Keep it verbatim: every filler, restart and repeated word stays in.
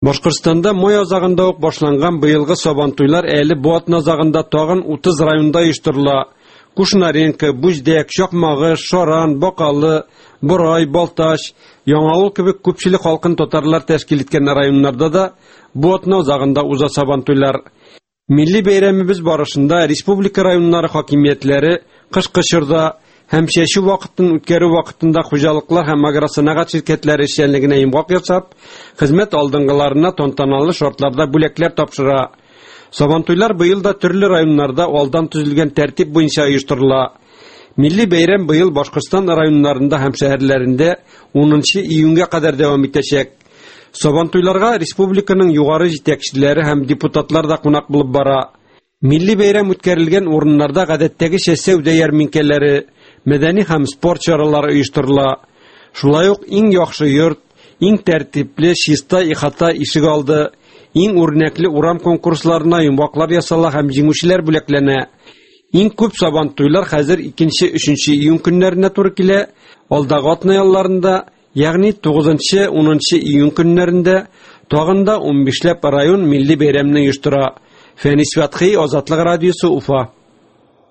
Башкортстанда май азагында ук башланган быелгы Сабантуйлар әле бу атна азагында тагын утыз районда оештырыла. Кушнаренко, Бүздәк, Чакмагыш, Шаран, Бакалы, Борай, Балтач, Яңавыл кебек күпчелек халкын татарлар тәшкил иткән районнарда да бу атна азагында уза Сабантуйлар. Милли бәйрәмебез барышында республика районнары хакимиятләре кышкы чорда һәм чәчү вакытын үткәрү вакытында хуҗалыклар һәм агросәнәгать ширкәтләре эшчәнлегенә йомгак ясап, хезмәт алдынгыларына тантаналы шартларда бүләкләр тапшыра. Сабантуйлар быел да төрле районнарда алдан төзелгән тәртип буенча оештырыла. Милли бәйрәм быел Башкортстан районнарында һәм шәһәрләрендә унынчы июньгә кадәр дәвам итәчәк. Сабантуйларга республиканың югары җитәкчеләре һәм депутатлар да кунак булып бара. Милли бәйрәм үткәрелгән урыннарда гадәттәгечә сәүдә ярминкәләре, мәдәни һәм спорт чаралары оештырыла. Шулай ук иң яхшы йорт, иң тәртипле, чиста ихата ишек алды, иң үрнәкле урам конкурсларына йомгаклар ясала һәм җиңүчеләр бүләкләнә. Иң күп сабантуйлар хәзер икенче, өченче июнь көннәренә туры килә. Алдагы атна ялларында, ягъни тугызынчы, унынчы июнь көннәрендә тагын да унбишләп район милли бәйрәмне оештыра. Фәнис Фәтхи, Азатлык радиосы, Уфа.